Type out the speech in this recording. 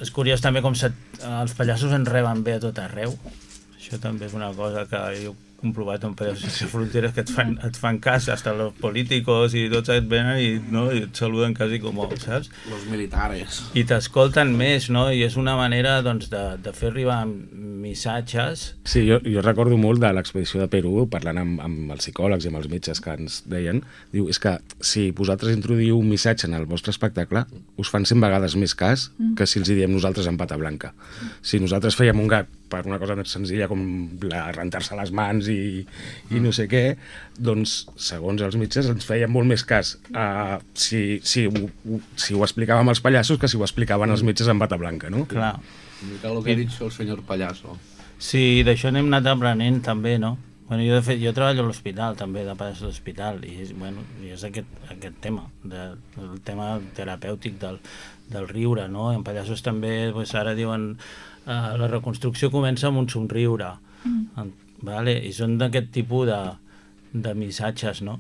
és curiós també com els pallassos ens reben bé a tot arreu. Això també és una cosa que jo he comprovat en Pallassos Sense Fronteres, que et fan cas, hasta los políticos i tots et venen i et saluden quasi com, saps? Los militares. I t'escolten més, no? I és una manera, doncs, de fer arribar missatges. Sí, jo recordo molt de l'expedició de Perú, parlant amb els psicòlegs i amb els metges que ens deien, diu, és que si vosaltres introduïu un missatge en el vostre espectacle, us fan 100 vegades més cas que si els hi diem nosaltres en pata blanca. Si nosaltres fèiem un gag per una cosa més senzilla com rentar-se les mans i no sé què, doncs, segons els metges, ens feien molt més cas si ho explicàvem als pallassos que si ho explicaven els metges en bata blanca, no? Clar. Mica el que ha dit el senyor pallasso. Sí, d'això n'hem anat aprenent també, no? Bueno, jo, de fet, jo treballo a l'hospital també, de pares a l'hospital, i bueno, és aquest tema, el tema terapèutic del riure, no? En Pallassos també, doncs, ara diuen la reconstrucció comença amb un somriure, vale? I són d'aquest tipus de missatges, no?